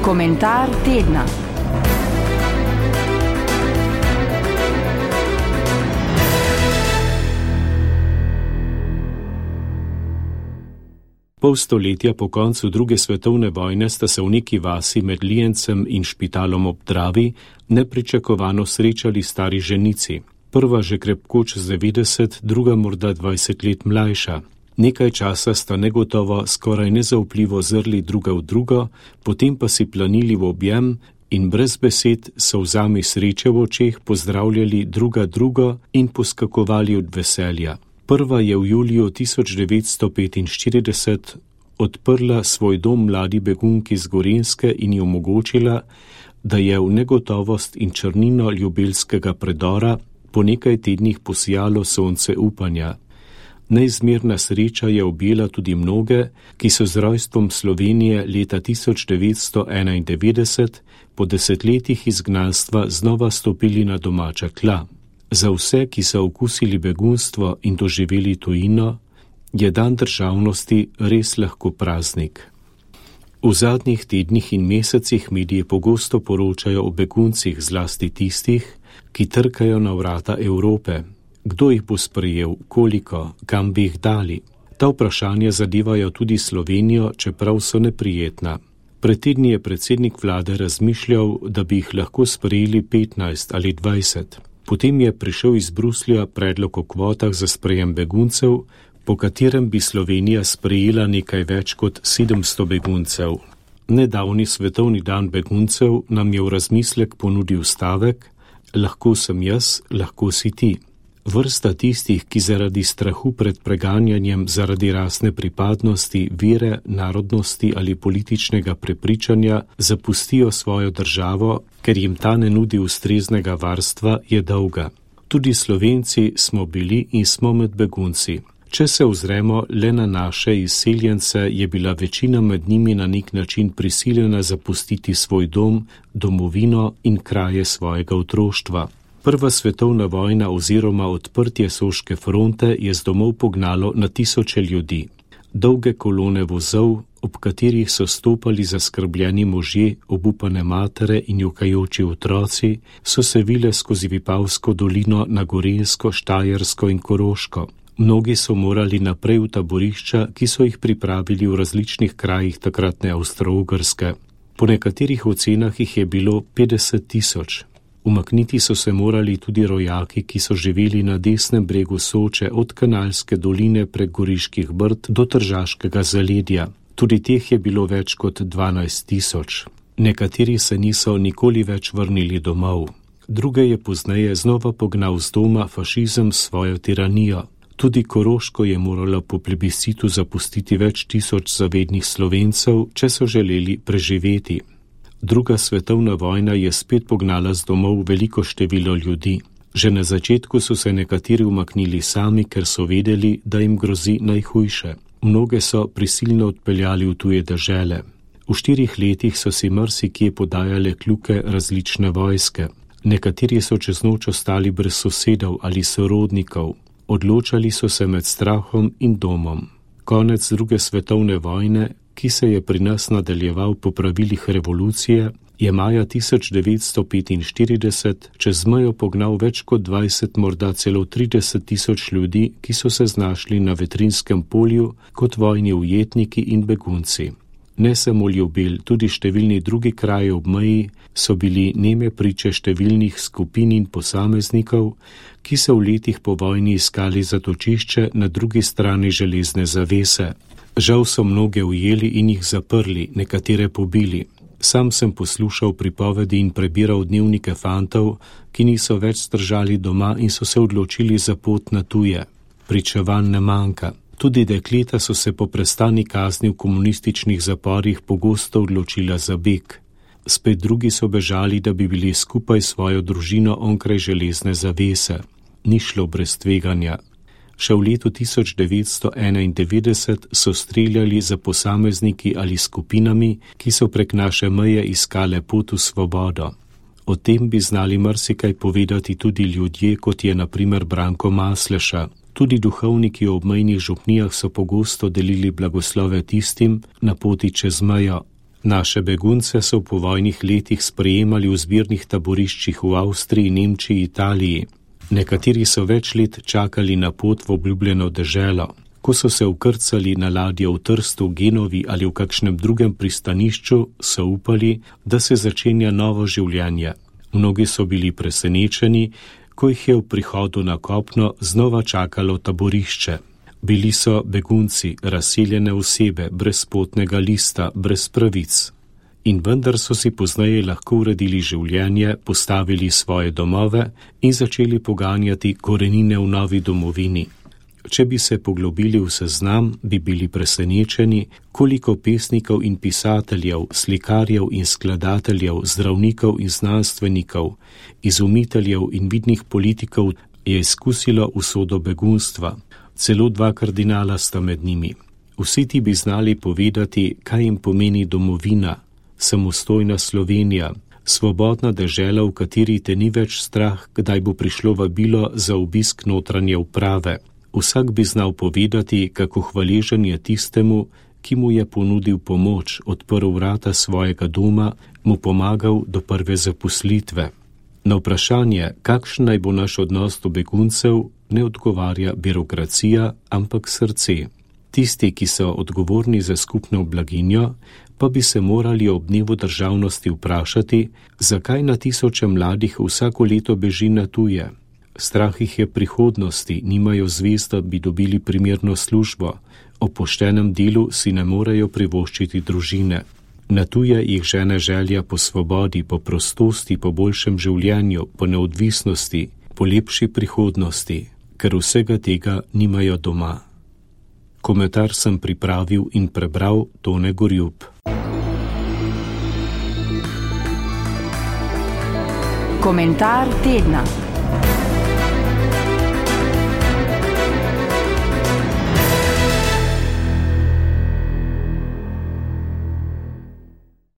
Komentar tedna. Pol stoletja po koncu druge svetovne vojne sta se v neki vasi med Lijencem in Špitalom ob Dravi nepričakovano srečali stari ženici. Prva že krepko čez 90, druga morda 20 let mlajša. Nekaj časa sta negotovo, skoraj nezaupljivo zrli druga v drugo, potem pa si planili v objem in brez besed solzami sreče v očeh pozdravljali druga drugo in poskakovali od veselja. Prva je v juliju 1945 odprla svoj dom mladi begunki z Gorenjske in ji omogočila, da je v negotovost in črnino ljubelskega predora po nekaj tednih posijalo sonce upanja. Neizmerna sreča je objela tudi mnoge, ki so z rojstvom Slovenije leta 1991 po desetletjih izgnanstva znova stopili na domača tla. Za vse, ki so okusili begunstvo in doživeli tujino, je dan državnosti res lahko praznik. V zadnjih tednih in mesecih mediji pogosto poročajo o beguncih, zlasti tistih, ki trkajo na vrata Evrope. Kdo jih bo sprejel, koliko, kam bi jih dali? Ta vprašanja zadevajo tudi Slovenijo, čeprav so neprijetna. Pred tedni je predsednik vlade razmišljal, da bi jih lahko sprejeli 15 ali 20. Potem je prišel iz Bruslja predlog o kvotah za sprejem beguncev, po katerem bi Slovenija sprejela nekaj več kot 700 beguncev. Nedavni svetovni dan beguncev nam je v razmislek ponudil stavek: lahko sem jaz, lahko si ti. Vrsta tistih, ki zaradi strahu pred preganjanjem zaradi rasne pripadnosti, vere, narodnosti ali političnega prepričanja zapustijo svojo državo, ker jim ta ne nudi ustreznega varstva, je dolga. Tudi Slovenci smo bili in smo med begunci. Če se ozremo le na naše izseljence, je bila večina med njimi na nek način prisiljena zapustiti svoj dom, domovino in kraje svojega otroštva. Prva svetovna vojna oziroma odprtje Soške fronte je z domov pognalo na tisoče ljudi. Dolge kolone vozov, ob katerih so stopali zaskrbljeni možje, obupane matere in jokajoči otroci, so se vile skozi Vipavsko dolino na Gorenjsko, Štajersko in Koroško. Mnogi so morali naprej v taborišča, ki so jih pripravili v različnih krajih takratne Avstro-Ogrske. Po nekaterih ocenah jih je bilo 50 000. Umakniti so se morali tudi rojaki, ki so živeli na desnem bregu Soče od Kanalske doline prek Goriških brd do Tržaškega zaledja. Tudi teh je bilo več kot 12 000. Nekateri se niso nikoli več vrnili domov. Druge je pozneje znova pognal z doma fašizem s svojo tiranijo. Tudi Koroško je moralo po plebiscitu zapustiti več tisoč zavednih Slovencev, če so želeli preživeti. Druga svetovna vojna je spet pognala z domov veliko število ljudi. Že na začetku so se nekateri umaknili sami, ker so vedeli, da jim grozi najhujše. Mnoge so prisilno odpeljali v tuje dežele. V 4 letih so si marsikje podajale kljuke različne vojske. Nekateri so čez noč ostali brez sosedov ali sorodnikov. Odločali so se med strahom in domom. Konec druge svetovne vojne, ki se je pri nas nadaljeval po pravilih revolucije, je maja 1945 čez mejo pognal več kot 20, morda celo 30 000 ljudi, ki so se znašli na Vetrinskem polju kot vojni ujetniki in begunci. Ne samo Ljubelj, tudi številni drugi kraji ob meji so bili neme priče številnih skupin in posameznikov, ki so v letih po vojni iskali zatočišče na drugi strani železne zavese. Žal so mnoge ujeli in jih zaprli, nekatere pobili. Sam sem poslušal pripovedi in prebiral dnevnike fantov, ki niso več zdržali doma in so se odločili za pot na tuje. Pričevanj ne manjka. Tudi dekleta so se po prestani kazni v komunističnih zaporih pogosto odločila za beg. Spet drugi so bežali, da bi bili skupaj s svojo družino onkraj železne zavese. Ni šlo brez tveganja. Še v letu 1991 so streljali za posamezniki ali skupinami, ki so prek naše meje iskale pot v svobodo. O tem bi znali marsikaj povedati tudi ljudje, kot je na primer Branko Masleša. Tudi duhovniki v obmejnih župnijah so pogosto delili blagoslove tistim na poti čez mejo. Naše begunce so v povojnih letih sprejemali v zbirnih taboriščih v Avstriji, Nemčiji, Italiji. Nekateri so več let čakali na pot v obljubljeno deželo. Ko so se vkrcali na ladjo v Trstu, Genovi ali v kakšnem drugem pristanišču, so upali, da se začenja novo življenje. Mnogi so bili presenečeni, ko jih je v prihodu na kopno znova čakalo taborišče. Bili so begunci, razseljene osebe, brez potnega lista, brez pravic. In vendar so si pozneje lahko uredili življenje, postavili svoje domove in začeli poganjati korenine v novi domovini. Če bi se poglobili v seznam, bi bili presenečeni, koliko pesnikov in pisateljev, slikarjev in skladateljev, zdravnikov in znanstvenikov, izumiteljev in vidnih politikov je izkusilo usodo begunstva. Celo 2 kardinala sta med njimi. Vsi ti bi znali povedati, kaj jim pomeni domovina, samostojna Slovenija, svobodna dežela, v kateri te ni več strah, kdaj bo prišlo vabilo za obisk notranje uprave. Vsak bi znal povedati, kako hvaležen je tistemu, ki mu je ponudil pomoč, odprl vrata svojega doma, mu pomagal do prve zaposlitve. Na vprašanje, kakšen naj bo naš odnos do beguncev, ne odgovarja birokracija, ampak srce. Tisti, ki so odgovorni za skupno blaginjo, pa bi se morali ob dnevu državnosti vprašati, zakaj na tisoče mladih vsako leto beži na tuje. Strah jih je prihodnosti, nimajo zvezd, da bi dobili primerno službo, o poštenem delu si ne morejo privoščiti družine. Na tuje jih žene želja po svobodi, po prostosti, po boljšem življenju, po neodvisnosti, po lepši prihodnosti, ker vsega tega nimajo doma. Komentar sem pripravil in prebral Tone Gorjup. Komentar tedna.